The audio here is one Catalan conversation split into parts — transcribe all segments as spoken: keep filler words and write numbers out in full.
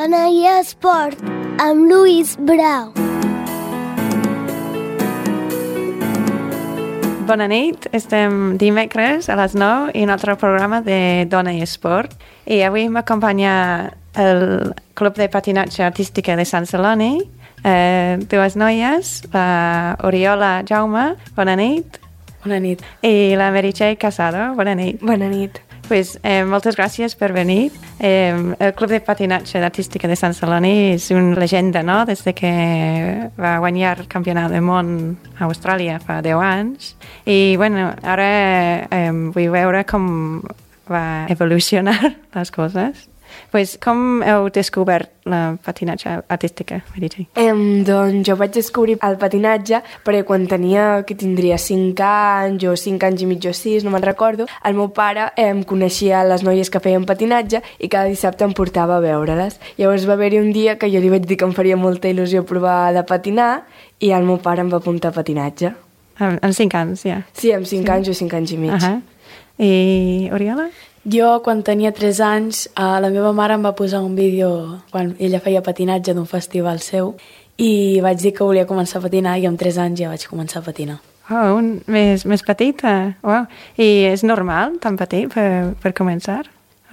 Dona i Esport, amb Lluís Brau. Bona nit, estem dimecres a les nou i un altre programa de Dona i Esport. I avui m'acompanya el Club de Patinatge Artística de Sant Celoni, eh, dues noies, la Oriola Jaume, bona nit. Bona nit. I la Meritxell Casado, bona nit. Bona nit. Pues, eh, moltes gràcies per venir. Eh, el Club de Patinatge Artística de Sant Celoni és una llegenda, no?, des de que va guanyar el Campionat del món a Austràlia fa deu anys. I, bueno, ara eh, vull veure com va evolucionar les coses. Pues, com heu descobert la patinatge artística, Meritxell? Eh, doncs jo vaig descobrir el patinatge perquè quan tenia, que tindria cinc anys o cinc anys i mig o sis, no me'n recordo, el meu pare eh, em coneixia les noies que feien patinatge i cada dissabte em portava a veure-les. Llavors va haver-hi un dia que jo li vaig dir que em faria molta il·lusió provar de patinar i el meu pare em va apuntar a patinatge. Amb, amb cinc anys, ja? Sí, amb cinc sí. anys o cinc anys i mig. Uh -huh. I Oriola? Jo, quan tenia tres anys, eh, la meva mare em va posar un vídeo quan ella feia patinatge d'un festival seu i vaig dir que volia començar a patinar i amb tres anys ja vaig començar a patinar. Oh, un, més, més petita. Wow. I és normal, tan petit, per, per començar?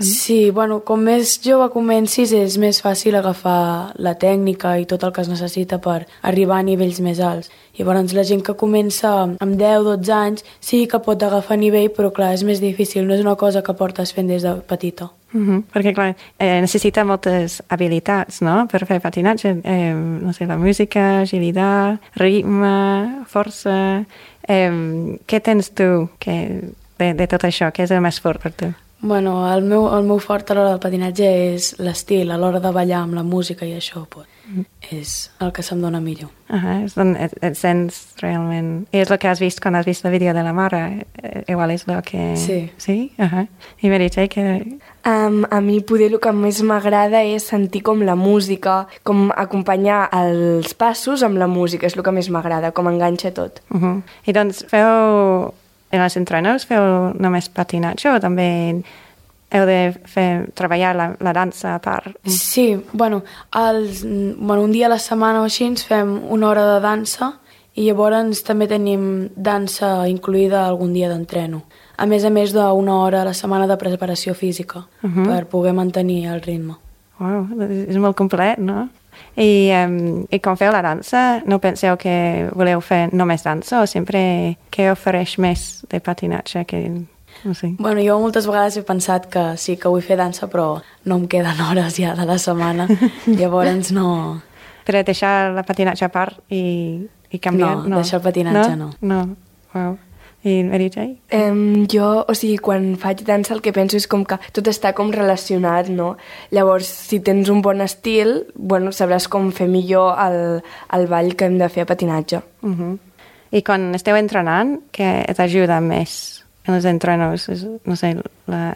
Sí, bueno, com més jove comencis és més fàcil agafar la tècnica i tot el que es necessita per arribar a nivells més alts. Llavors la gent que comença amb deu dotze anys sí que pot agafar nivell, però clar, és més difícil, no és una cosa que portes fent des de petita. Uh-huh. Perquè clar, eh, necessita moltes habilitats, no?, per fer patinatge. Eh, no sé, la música, agilitat, ritme, força... Eh, què tens tu que, de, de tot això? Què és el més fort per tu? Bueno, el meu, el meu fort a l'hora del patinatge és l'estil, a l'hora de ballar amb la música i això, pues, mm. és el que se'm dona millor. Uh -huh. És on et, et sents realment... I és el que has vist quan has vist el vídeo de la mare, igual és el que... Sí. Sí? Uh -huh. I Meritxell, que... Um, a mi poder el que més m'agrada és sentir com la música, com acompanyar els passos amb la música, és el que més m'agrada, com enganxa tot. Uh -huh. I doncs feu... En els entrenos feu només patinatge o també heu de fer, treballar la, la dansa a part? Sí, bueno, els, bueno, un dia a la setmana o així ens fem una hora de dansa i llavors també tenim dansa incluïda algun dia d'entreno. A més a més d'una hora a la setmana de preparació física uh -huh. per poder mantenir el ritme. Wow, és molt complet, no? I, um, I com feu la dansa, no penseu que voleu fer només dansa o sempre què ofereix més de patinatge que... No sé. Bueno, jo moltes vegades he pensat que sí que vull fer dansa, però no em queden hores ja de la setmana, llavors no... Però deixar la patinatge a part i, i canviar? No, no, deixar el patinatge no. No, no. Wow. I Meritxell? Um, jo, o sigui, quan faig dansa el que penso és com que tot està com relacionat, no? Llavors, si tens un bon estil, bueno, sabràs com fer millor el, el ball que hem de fer a patinatge. Uh -huh. I quan esteu entrenant, què t'ajuda més en els entrenos? No sé,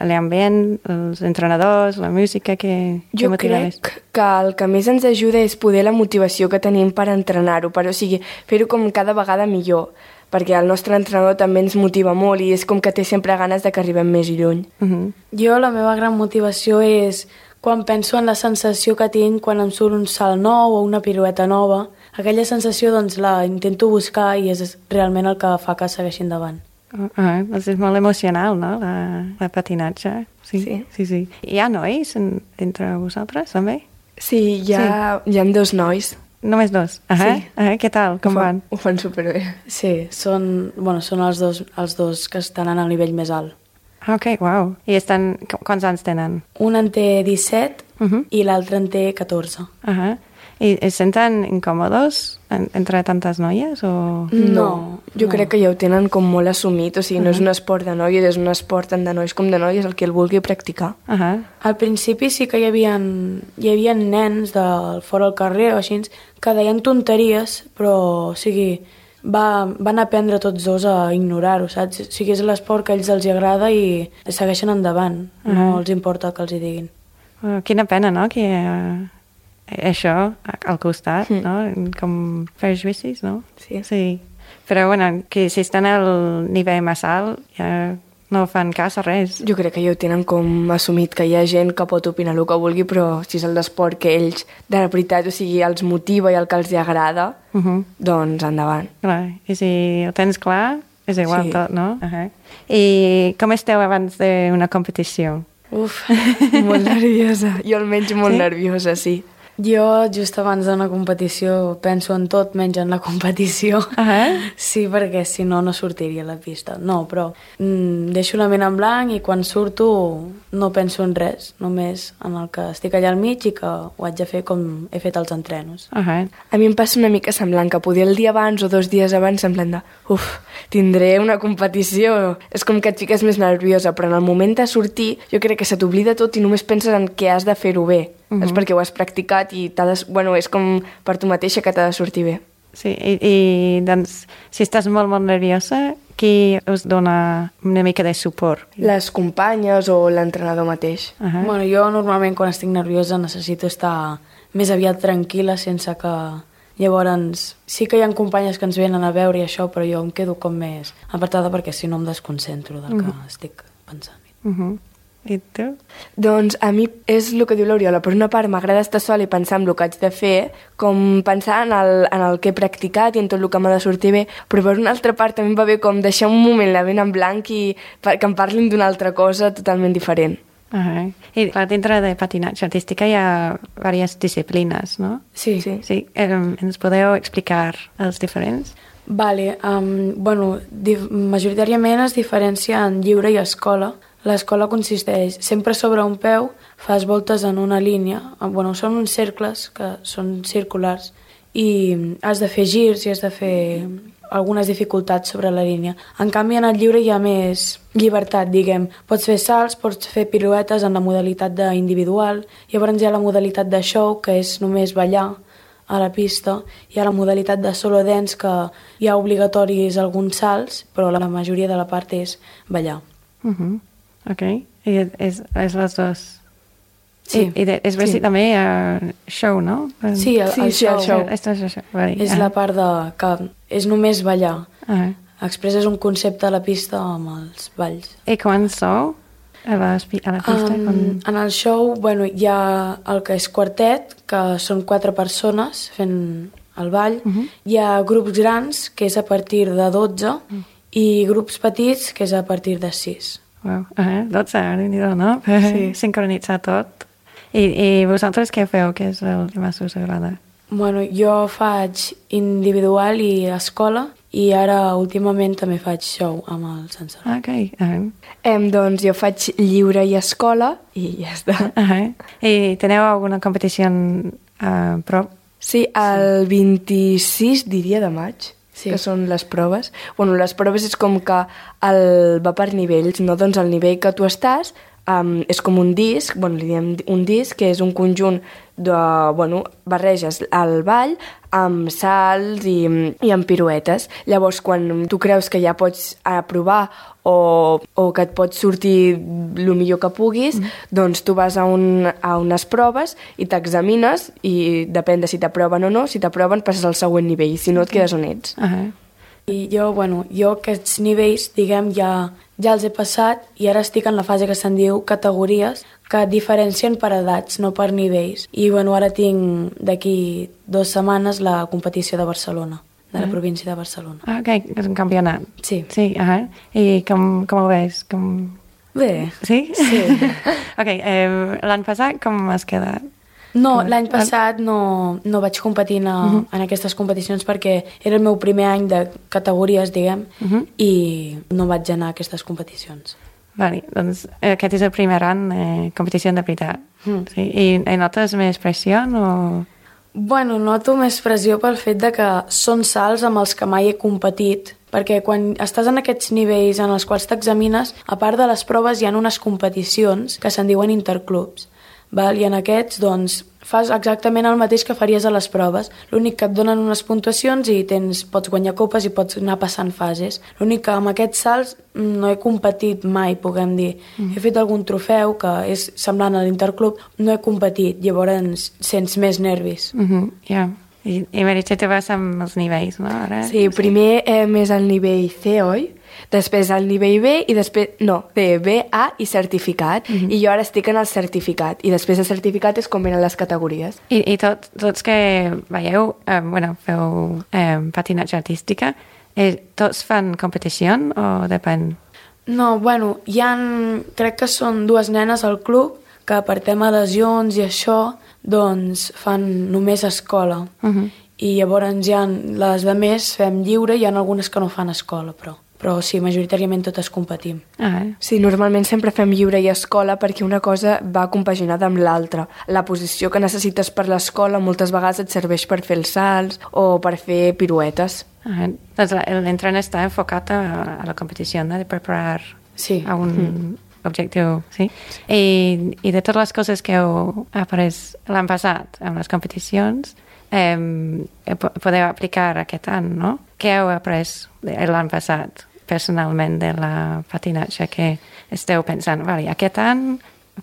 l'ambient, els entrenadors, la música, què, què jo motiva crec més? que el que més ens ajuda és poder la motivació que tenim per entrenar-ho, però o sigui, fer-ho com cada vegada millor, perquè el nostre entrenador també ens motiva molt i és com que té sempre ganes de que arribem més lluny. Uh -huh. Jo la meva gran motivació és quan penso en la sensació que tinc quan em surt un salt nou o una pirueta nova. Aquella sensació doncs la intento buscar i és realment el que fa que segueixi endavant. Uh -huh. Doncs és molt emocional, no?, la, la patinatge. Sí, sí. sí, sí. Hi ha nois en, entre vosaltres, també? Sí, hi ha, sí. hi ha dos nois. Només dos? Uh -huh. Sí. Uh -huh. Què tal? Com ho fan, van? Ho fan superbé. Sí, són, bueno, són els, dos, els dos que estan en el nivell més alt. Ok, wow. I estan... Quants anys tenen? Un en té disset uh -huh. i l'altre en té catorze. Uh -huh. I es senten incòmodes en, entre tantes noies o...? No, no jo no. crec que ja ho tenen com molt assumit, o sigui, uh -huh. no és un esport de noies, és un esport tant de nois com de noies, el que el vulgui practicar. Uh -huh. Al principi sí que hi havia, hi havia nens de fora al carrer o així que deien tonteries, però o sigui, va, van aprendre tots dos a ignorar-ho, saps? O sigui, és l'esport que a ells els agrada i segueixen endavant, uh -huh. no els importa que els hi diguin. Uh, quina pena, no?, que... Uh... això al costat, mm. no? Com prejudicis, no? Sí. Sí. Però, bueno, que si estan al nivell més alt, ja no fan cas a res. Jo crec que ja ho tenen com assumit, que hi ha gent que pot opinar el que vulgui, però si és el d'esport que ells, de la veritat, o sigui, els motiva i el que els agrada, uh -huh. doncs endavant. Clar, i si ho tens clar, és igual Sí. tot, no? Uh -huh. I com esteu abans d'una competició? Uf, molt nerviosa. Jo almenys molt Sí? nerviosa, sí. Jo, just abans d'una competició, penso en tot menys en la competició. Ah, Sí, perquè si no, no sortiria a la pista. No, però mm, deixo la ment en blanc i quan surto no penso en res, només en el que estic allà al mig i que ho haig de fer com he fet els entrenos. uh -huh. A mi em passa una mica semblant, que poder el dia abans o dos dies abans semblant de uf, tindré una competició. És com que et fiques més nerviosa, però en el moment de sortir jo crec que se t'oblida tot i només penses en què has de fer-ho bé. Uh-huh. És perquè ho has practicat i t'ha de, bueno, és com per tu mateixa que t'ha de sortir bé. Sí, i, i doncs, si estàs molt, molt nerviosa, qui us dona una mica de suport? Les companyes o l'entrenador mateix. Uh -huh. Bueno, jo normalment quan estic nerviosa necessito estar més aviat tranquil·la sense que... Llavors, sí que hi ha companyes que ens venen a veure i això, però jo em quedo com més apartada perquè si no em desconcentro del que uh -huh. estic pensant. Uh -huh. I tu? Doncs a mi és el que diu l'Oriola. Per una part m'agrada estar sola i pensar en el que haig de fer, com pensar en el, en el que he practicat i en tot el que m'ha de sortir bé, però per una altra part també em va bé com deixar un moment la ment en blanc i que em parlin d'una altra cosa totalment diferent. Uh -huh. I clar, dintre de patinatge artística hi ha diverses disciplines, no? Sí, Sí. Sí, eh, ens podeu explicar els diferents? Vale, um, bueno, majoritàriament es diferencia en lliure i escola. L'escola consisteix sempre sobre un peu, fas voltes en una línia, bueno, són uns cercles que són circulars i has de fer girs i has de fer algunes dificultats sobre la línia. En canvi, en el lliure hi ha més llibertat, diguem. Pots fer salts, pots fer piruetes en la modalitat d'individual, llavors hi ha la modalitat de show, que és només ballar a la pista, hi ha la modalitat de solo dance, que hi ha obligatoris alguns salts, però la majoria de la part és ballar. Uh -huh. Ok, i és, és les dues. Sí. I, i de, és sí. també uh, show, no? Sí, el, Sí, el sí, show. el show. Esto és això. Vale. És la part de... que és només ballar. Uh-huh. Expresses un concepte a la pista amb els balls. I quan sou a la, a la pista? Um, quan... En el show, bueno, hi ha el que és quartet, que són quatre persones fent el ball. Uh -huh. Hi ha grups grans, que és a partir de dotze, uh -huh. i grups petits, que és a partir de sis. Wow. Uh -huh. dotze, déu-n'hi-do, no? Sí. Sincronitzar tot. I, I vosaltres què feu? Què és el que més us agrada? Bueno, jo faig individual i escola, i ara últimament també faig show amb el Sansar. Ok. Uh -huh. Em, doncs jo faig lliure i escola i ja està. Uh -huh. I teniu alguna competició a uh, prop? Sí, el vint-i-sis, diria, de maig, Sí. que són les proves. Bueno, les proves és com que el, va per nivells, no? Doncs el nivell que tu estàs um, és com un disc, bueno, li diem un disc, que és un conjunt de, bueno, barreges el ball amb salts i, i amb piruetes. Llavors, quan tu creus que ja pots aprovar o, o que et pots sortir el millor que puguis, mm. doncs tu vas a, un, a unes proves i t'examines i depèn de si t'aproven o no. Si t'aproven passes al següent nivell, si no et quedes on ets. Uh -huh. I jo, bueno, jo aquests nivells, diguem, ja, ja els he passat i ara estic en la fase que se'n diu categories, que et diferencien per edats, no per nivells. I bueno, ara tinc d'aquí dues setmanes la competició de Barcelona, de la Ah. província de Barcelona. Ah, ok, és un campionat. Sí. Sí, uh -huh. I com, com ho veus? Com... Bé. Sí? Sí. Ok, eh, l'any passat com has quedat? No, Com- l'any passat no, no vaig competir a, uh -huh. en aquestes competicions perquè era el meu primer any de categories, diguem, uh -huh. i no vaig anar a aquestes competicions. Vale, doncs eh, aquest és el primer any eh, competició de veritat. Mm. Sí? I, I notes més pressió o...? Bueno, noto més pressió pel fet de que són salts amb els que mai he competit, perquè quan estàs en aquests nivells en els quals t'examines, a part de les proves hi ha unes competicions que se'n diuen interclubs. Val? I en aquests, doncs, fas exactament el mateix que faries a les proves. L'únic que et donen unes puntuacions i tens, pots guanyar copes i pots anar passant fases. L'únic que amb aquests salts no he competit mai, puguem dir. Mm. He fet algun trofeu que és semblant a l'interclub, no he competit, llavors sents més nervis. Uh -huh, ja. I, i Meritxell, tu vas amb els nivells, no? Ara? Sí, primer eh, més al nivell C, oi? Després al nivell B i després... No, D, B, A i certificat. Mm-hmm. I jo ara estic en el certificat. I després de certificat és com venen les categories. I, i tot, tots que veieu, eh, bueno, feu eh, patinatge artística, eh, tots fan competició o depèn? No, bueno, hi ha, crec que són dues nenes al club que per tema lesions i això, doncs fan només escola. Uh-huh. I llavors hi ha les de més fem lliure, hi ha algunes que no fan escola, però, però sí, majoritàriament totes competim. Ah, eh? Sí, normalment sempre fem lliure i escola perquè una cosa va compaginada amb l'altra. La posició que necessites per l'escola moltes vegades et serveix per fer els salts o per fer piruetes. Ah, doncs l'entrenament està enfocat a, a la competició, no? De preparar sí. a un mm. objectiu, sí? I, I de totes les coses que heu après l'any passat en les competicions, eh, podeu aplicar aquest any, no? Què heu après l'any passat personalment de la patinatge que esteu pensant, vale, aquest any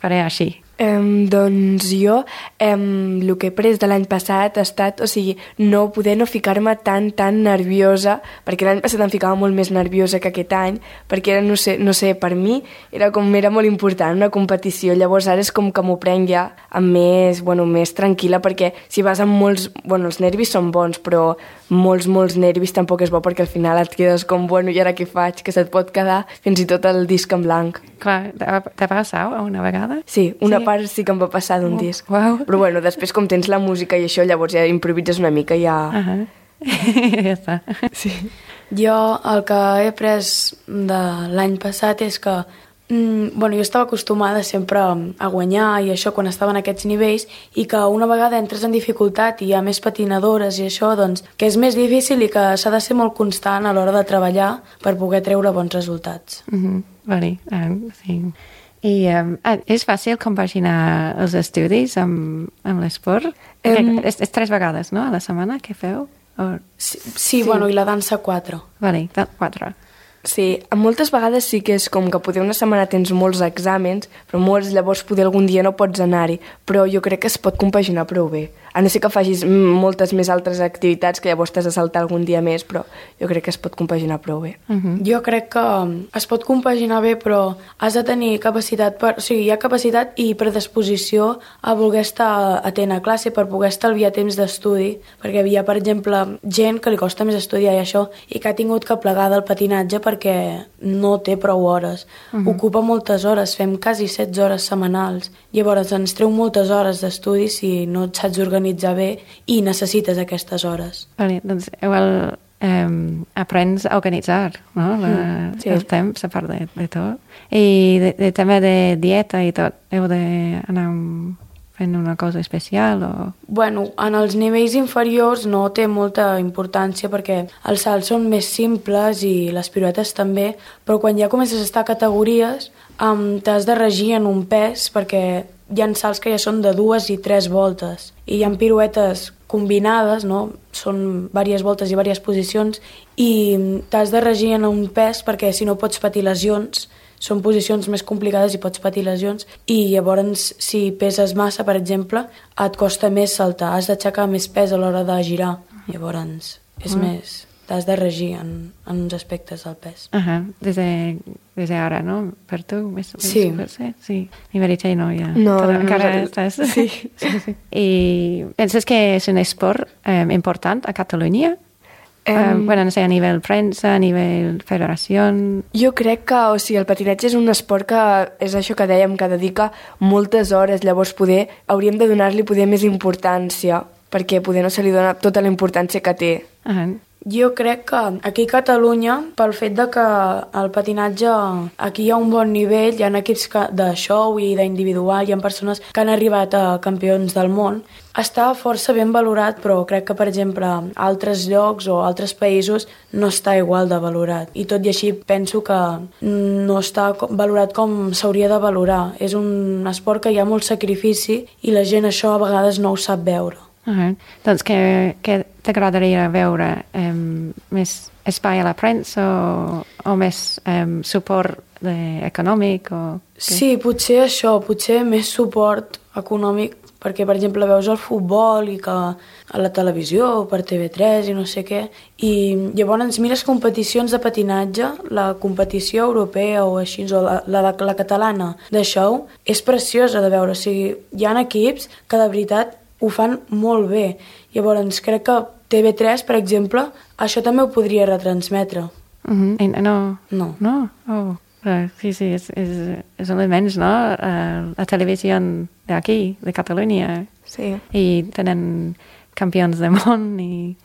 faré així? Um, doncs jo um, el que he pres de l'any passat ha estat, o sigui, no poder no ficar-me tan, tan nerviosa, perquè l'any passat em ficava molt més nerviosa que aquest any, perquè era, no sé, no sé, per mi era com, era molt important una competició, llavors ara és com que m'ho prenc ja amb més, bueno, més tranquil·la, perquè si vas amb molts, bueno, els nervis són bons, però molts, molts nervis tampoc és bo, perquè al final et quedes com, bueno, i ara què faig? Que se't pot quedar fins i tot el disc en blanc. Clar, te va passar una vegada? Sí, una sí. part sí que em va passar d'un oh, disc. Wow. Però bueno, després com tens la música i això, llavors ja improvises una mica i ja... Uh-huh. ja està. Sí. Jo el que he après de l'any passat és que mm, bueno, jo estava acostumada sempre a guanyar i això quan estava en aquests nivells i que una vegada entres en dificultat i hi ha més patinadores i això, doncs que és més difícil i que s'ha de ser molt constant a l'hora de treballar per poder treure bons resultats. Uh-huh. Vale, um, sí. I um, és fàcil compaginar els estudis amb, amb l'esport? Um, és, és tres vegades, no?, a la setmana que feu? O... Sí, sí, sí, bueno, i la dansa quatre. Vale, quatre. Sí, moltes vegades sí que és com que poder una setmana tens molts exàmens, però molts llavors poder algun dia no pots anar-hi, però jo crec que es pot compaginar prou bé. A no ser que facis moltes més altres activitats que llavors t'has de saltar algun dia més, però jo crec que es pot compaginar prou bé. Uh-huh. Jo crec que es pot compaginar bé, però has de tenir capacitat, per, o sigui, hi ha capacitat i predisposició a voler estar atent a classe per poder estalviar temps d'estudi, perquè hi ha, per exemple, gent que li costa més estudiar i això, i que ha tingut que plegar del patinatge perquè no té prou hores. Uh-huh. Ocupa moltes hores, fem quasi setze hores setmanals. Llavors ens treu moltes hores d'estudi si no et saps organitzar bé i necessites aquestes hores. Vale, doncs igual eh, aprens a organitzar, no? La, mm, sí. El temps, a part de, de tot. I de, de, també de dieta i tot. Heu d'anar fent una cosa especial o... Bueno, en els nivells inferiors no té molta importància perquè els salts són més simples i les piruetes també, però quan ja comences a estar a categories um, t'has de regir en un pes perquè hi ha salts que ja són de dues i tres voltes i hi ha piruetes combinades, no? Són diverses voltes i diverses posicions i t'has de regir en un pes perquè si no pots patir lesions. Són posicions més complicades i pots patir lesions i llavors si peses massa, per exemple, et costa més saltar, has d'aixecar més pes a l'hora de girar, llavors és mm. més, t'has de regir en, en uns aspectes del pes. Uh-huh. Des de, des de ara, no? Per tu? Més, sí. Més, sí. I Meritxell no, ja. No, Tot, no, encara no, estàs... Sí. sí, sí. I penses que és un esport eh, important a Catalunya? Um, bueno, no sé, a nivell premsa, a nivell federació... Jo crec que, o sigui, el patinatge és un esport que és això que dèiem, que dedica moltes hores, llavors poder, hauríem de donar-li poder més importància, perquè poder no se li dona tota la importància que té. Uh-huh. Jo crec que aquí a Catalunya, pel fet de que el patinatge aquí hi ha un bon nivell, hi ha equips de show i d'individual, hi ha persones que han arribat a campions del món, està força ben valorat, però crec que, per exemple, altres llocs o altres països no està igual de valorat. I tot i així penso que no està valorat com s'hauria de valorar. És un esport que hi ha molt sacrifici i la gent això a vegades no ho sap veure. Uh-huh. Doncs què, què t'agradaria veure? Um, més espai a la premsa o, o més um, suport de, econòmic? O... Sí, potser això, potser més suport econòmic perquè, per exemple, veus el futbol i que a la televisió o per T V tres i no sé què, i llavors mires competicions de patinatge, la competició europea o així, o la, la, la catalana de show, és preciosa de veure. O sigui, hi ha equips que de veritat ho fan molt bé. Llavors, crec que T V tres, per exemple, això també ho podria retransmetre. Uh -huh. No. No. No? Oh. Uh, sí, sí, és, és, és un immens, no? Uh, la televisió d'aquí, de Catalunya. Sí. I tenen campions de món i,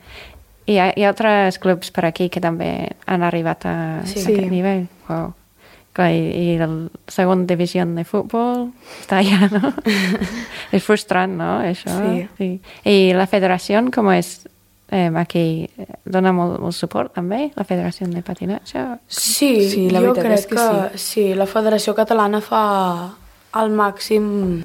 i hi ha, hi ha altres clubs per aquí que també han arribat a, sí. a aquest nivell. Wow. Clar, i, i la segona divisió de futbol està allà, no? És frustrant, no, això? Sí. Sí. I la federació, com és? Eh, aquí dona molt, molt suport també, la Federació de Patinatge? Sí, sí la jo crec és que, que sí. sí, la Federació Catalana fa el màxim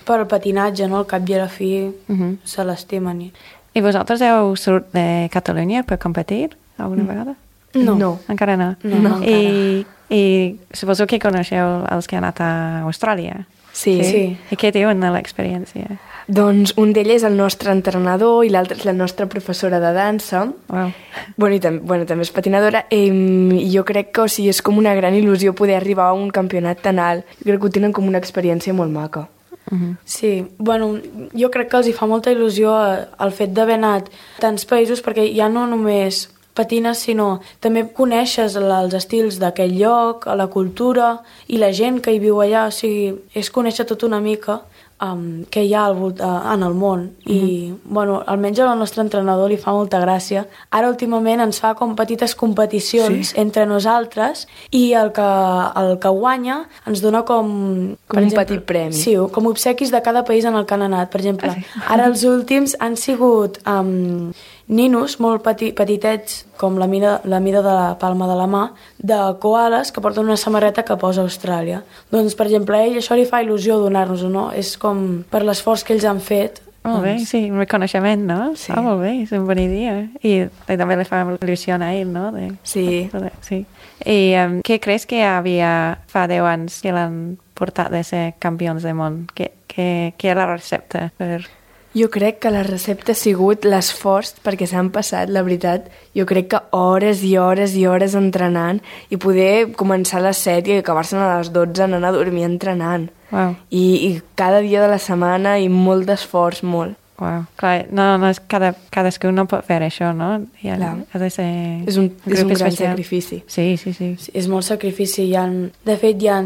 per al patinatge, no? Al cap i a la fi uh -huh. se l'estimen. I... I vosaltres heu sort de Catalunya per competir alguna mm. vegada? No. no. Encara no? No, no I, I suposo que coneixeu els que han anat a Austràlia. Sí. sí. sí. I què diuen de l'experiència? Doncs un d'ells és el nostre entrenador i l'altre és la nostra professora de dansa. Wow. Bueno, i tam bueno, també és patinadora. I jo crec que o sigui, és com una gran il·lusió poder arribar a un campionat tan alt. Jo crec que ho tenen com una experiència molt maca. Uh -huh. Sí, bueno, jo crec que els hi fa molta il·lusió el fet d'haver anat a tants països, perquè ja no només patines, sinó també coneixes els estils d'aquell lloc, la cultura i la gent que hi viu allà. O sigui, és conèixer tot una mica um, que hi ha al, uh, en el món. Uh-huh. I, bueno, almenys al nostre entrenador li fa molta gràcia. Ara, últimament, ens fa com petites competicions sí. entre nosaltres i el que, el que guanya ens dona com... Com un exemple, petit premi. Sí, com obsequis de cada país en el que han anat. Per exemple, ah, sí. ara els últims han sigut... Um, ninos molt peti petitets, com la mida, la mida de la palma de la mà, de koalas que porten una samarreta que posa Austràlia. Doncs, per exemple, a ell això li fa il·lusió donar-nos-ho, no? És com per l'esforç que ells han fet. Molt bé, sí, un reconeixement, no? Sí. Ah, molt bé, és una bona idea. I, i també li fa il·lusió a ell, no? De, sí. De, sí. I um, què creus que havia fa deu anys que l'han portat de ser campions del món? Què, què, què era la recepta per... Jo crec que la recepta ha sigut l'esforç, perquè s'han passat, la veritat, jo crec que hores i hores i hores entrenant i poder començar a les set i acabar-se'n a les dotze anant a dormir entrenant. Wow. I, I cada dia de la setmana i molt d'esforç, molt. Wow. Clar, no, no és cada, cadascú no pot fer això, no? I ha, ha de ser és un, un és un gran especial. sacrifici. Sí, sí, sí, sí. És molt sacrifici. Hi ha, de fet, hi ha,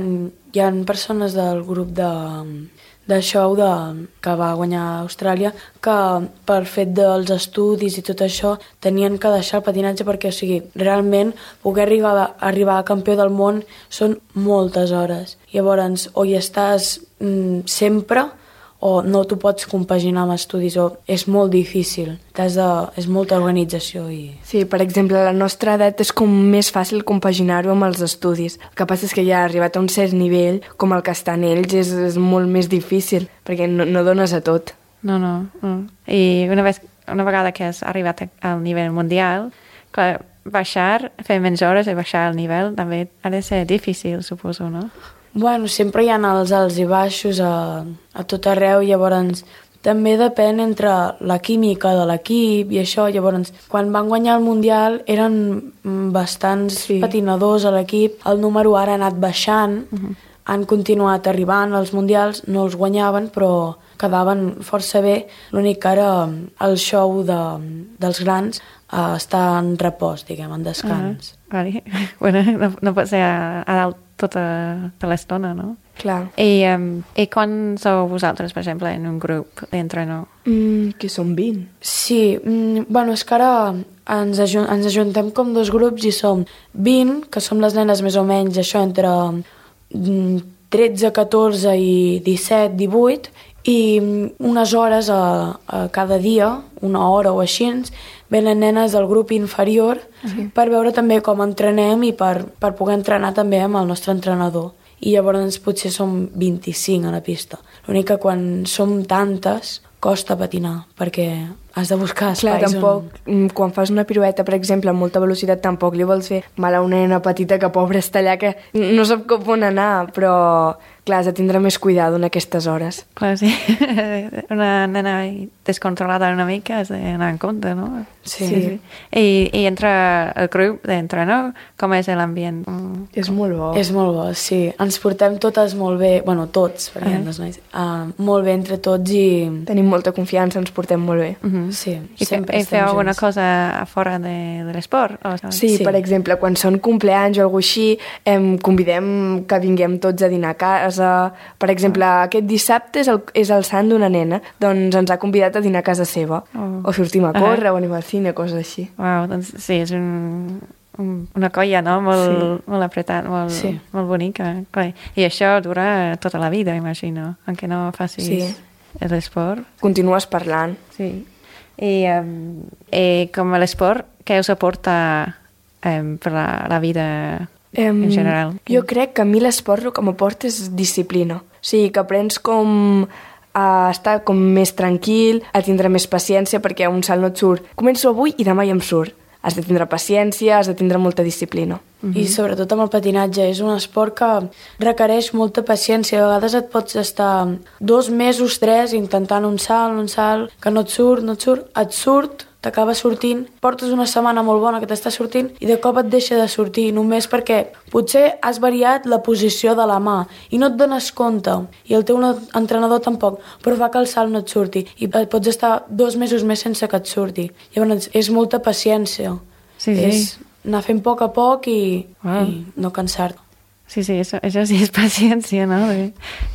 hi ha persones del grup de... de show de, que va guanyar a Austràlia, que per fet dels estudis i tot això tenien que deixar el patinatge perquè, o sigui, realment poder arribar, arribar a campió del món són moltes hores. Llavors, o hi estàs mm, sempre o no t'ho pots compaginar amb estudis, o és molt difícil. T'has de, és molta organització. I... Sí, per exemple, a la nostra edat és com més fàcil compaginar-ho amb els estudis. El que passa és que ja ha arribat a un cert nivell, com el que estan ells, és, és molt més difícil, perquè no, no dones a tot. No, no, no. I una, vez, una vegada que has arribat al nivell mundial, clar, baixar, fer menys hores i baixar el nivell també ha de ser difícil, suposo, no? Bueno, sempre hi ha els alts i baixos a, a tot arreu, llavors també depèn entre la química de l'equip i això. Llavors, quan van guanyar el Mundial eren bastants sí. patinadors a l'equip, el número ara ha anat baixant, uh -huh. han continuat arribant als Mundials, no els guanyaven, però quedaven força bé. L'únic que ara el show de, dels grans uh, està en repòs, diguem, en descans. Uh -huh. Vale. Bueno, no, no pot ser a, a dalt tota, tota l'estona, no? Clar. I, um, I quan sou vosaltres, per exemple, en un grup d'entrenador? Mm, que són vint. Sí, mm, bueno, és que ara ens, ajun ens ajuntem com dos grups i som vint, que som les nenes més o menys, això, entre mm, tretze, catorze i disset, divuit, i unes hores a, a cada dia, una hora o així, venen nenes del grup inferior sí. per veure també com entrenem i per, per poder entrenar també amb el nostre entrenador. I llavors potser som vint-i-cinc a la pista. L'únic que quan som tantes costa patinar, perquè has de buscar Clar, espais tampoc, on... quan fas una pirueta, per exemple, amb molta velocitat, tampoc li vols fer mal a una nena petita que, pobra, està allà, que no sap com on anar, però, clar, has de tindre més cuidado en aquestes hores. Clar, sí. Una nena descontrolada una mica has d'anar en compte, no? Sí. sí. sí. I, I entre el grup d'entrenador, com és l'ambient? Mm. És molt bo. És molt bo, sí. Ens portem totes molt bé, bueno, tots, perquè hi ha dos nois, uh, molt bé entre tots i... Tenim molta confiança, ens portem molt bé. Mm -hmm. Sí, I sempre fe, estem feu alguna junts. cosa a fora de, de l'esport? O... Sí, sí, per exemple, quan són compleanys o alguna cosa així, em convidem que vinguem tots a dinar a casa. Per exemple, oh. aquest dissabte és el, és el sant d'una nena, doncs ens ha convidat a dinar a casa seva. Oh. O sortim a córrer, uh -huh. o anem al cine, coses així. Uau, doncs sí, és un, un, una colla, no? Molt, sí. molt apretat, molt, sí. molt bonica. Clar. I això dura tota la vida, imagino, encara no facis sí. l'esport. Continues parlant. Sí. I, um, i com l'esport, què us aporta um, per la, la vida um, en general? Jo crec que a mi l'esport el que m'aporta és disciplina. O sigui, que aprens com a estar com més tranquil, a tindre més paciència, perquè un salt no et surt. Començo avui i demà ja em surt. Has de tindre paciència, has de tindre molta disciplina. Mm-hmm. I sobretot amb el patinatge, és un esport que requereix molta paciència. A vegades et pots estar dos mesos, tres, intentant un salt, un salt, que no et surt, no et surt, et surt, t'acaba sortint, portes una setmana molt bona que t'està sortint i de cop et deixa de sortir, només perquè potser has variat la posició de la mà i no et dones compte, i el teu entrenador tampoc, però fa que el salt no et surti i pots estar dos mesos més sense que et surti. Llavors és molta paciència. Sí, sí. És anar fent a poc a poc i, wow. i no cansar-te. Sí, sí, això, això sí és paciència, no?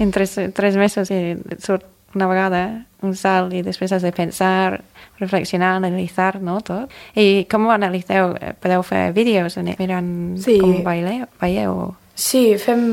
En tres, tres mesos i surt una vegada un salt i després has de pensar, reflexionar, analitzar, no, tot. I com ho analitzeu? Podeu fer vídeos mirant sí. com baileu, veieu? Sí, fem...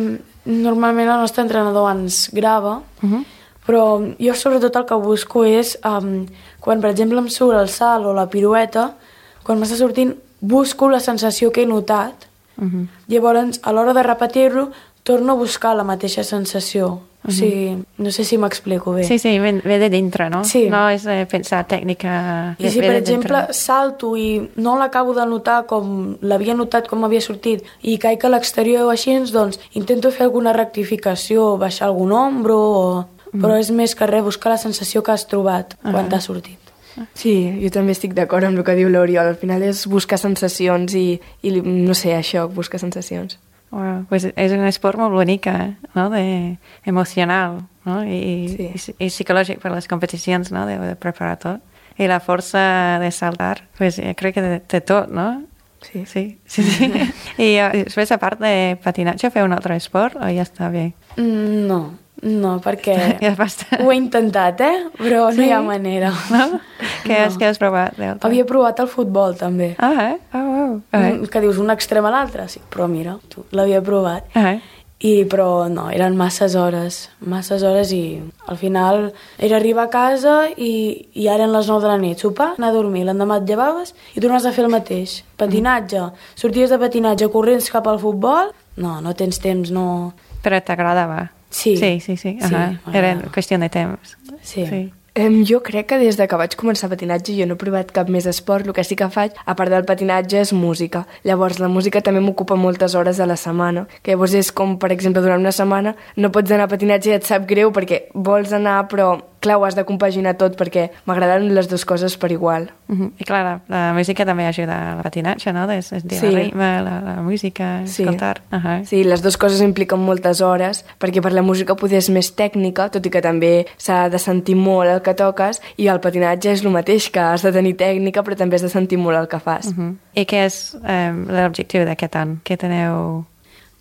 Normalment el nostre entrenador ens grava, uh -huh. però jo sobretot el que busco és, um, quan per exemple em surt el salt o la pirueta, quan m'està sortint busco la sensació que he notat, uh -huh. llavors a l'hora de repetir-lo torno a buscar la mateixa sensació. O sigui, no sé si m'explico bé. Sí, sí, ve, ve de dintre, no? Sí. No és eh, pensar tècnica... I si, per exemple, salto i no l'acabo de notar com l'havia notat, com m'havia sortit, i caic a l'exterior o així, doncs intento fer alguna rectificació, baixar algun ombro, o... mm. però és més que res buscar la sensació que has trobat uh -huh. quan t'ha sortit. Sí, jo també estic d'acord amb el que diu l'Oriol. Al final és buscar sensacions i, i no sé, això, buscar sensacions. Wow, pues és un esport molt bonica, no? De, emocional, no? I, sí. i, i psicològic per les competicions, no? De, de preparar tot. I la força de saltar, pues crec que de, de tot, no? Sí. Sí, sí, sí. I uh, després, a part de patinatge, feu un altre esport o ja està bé? Mm, no, no, perquè ja basta. ho he intentat, eh? Però sí? no hi ha manera. No? Què, no. has, què has provat? Havia provat el futbol, també. Ah, eh? Oh, wow. Uh-huh. Que dius un extrem a l'altre, sí, però mira, tu l'havia provat. Uh-huh. I, però no, eren masses hores, masses hores i al final era arribar a casa i, i ara eren les nou de la nit, sopar, anar a dormir, l'endemà et llevaves i tornaves a fer el mateix. Patinatge, sorties de patinatge, corrents cap al futbol, no, no tens temps, no... Però t'agradava? Sí. Sí, sí, sí. Uh -huh. sí era qüestió de temps. Sí. sí. Um, jo crec que des de que vaig començar patinatge jo no he provat cap més esport. El que sí que faig, a part del patinatge, és música. Llavors, la música també m'ocupa moltes hores a la setmana. Que llavors és com, per exemple, durant una setmana no pots anar a patinatge i et sap greu perquè vols anar, però clar, ho has de compaginar tot perquè m'agraden les dues coses per igual. Uh -huh. I clar, la, la música també ajuda al patinatge, no? De sentir sí. el ritme, la, la música, sí. escoltar. Uh -huh. Sí, les dues coses impliquen moltes hores, perquè per la música poder és més tècnica, tot i que també s'ha de sentir molt el que toques, i el patinatge és el mateix, que has de tenir tècnica, però també has de sentir molt el que fas. Uh -huh. I què és um, l'objectiu d'aquest any? Què teneu...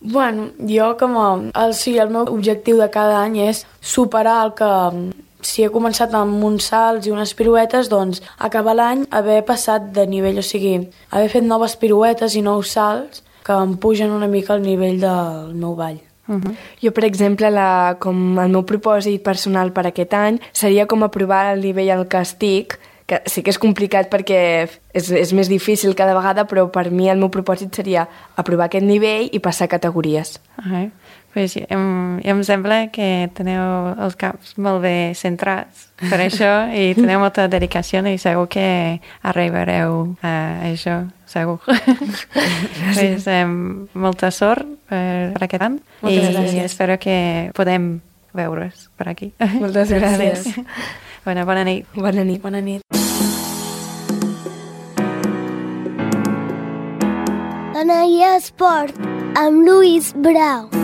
Bueno, jo com a... El, sí, el meu objectiu de cada any és superar el que... Si he començat amb uns salts i unes piruetes, doncs acabar l'any haver passat de nivell, o sigui, haver fet noves piruetes i nous salts que em pugen una mica al nivell del meu ball. Uh -huh. Jo, per exemple, la, com el meu propòsit personal per aquest any seria com aprovar el nivell al que estic, que sí que és complicat perquè és, és més difícil cada vegada, però per mi el meu propòsit seria aprovar aquest nivell i passar categories. Uh -huh. Pues, em, em sembla que teniu els caps molt bé centrats per això i teniu molta dedicació i segur que arribareu a això, segur. Pues, em, molta sort per, per aquest any i gràcies. espero que podem veure's per aquí. Moltes gràcies. Bueno, bona nit. Bona nit. Bona nit. Anaia Esport, amb Lluís Brau.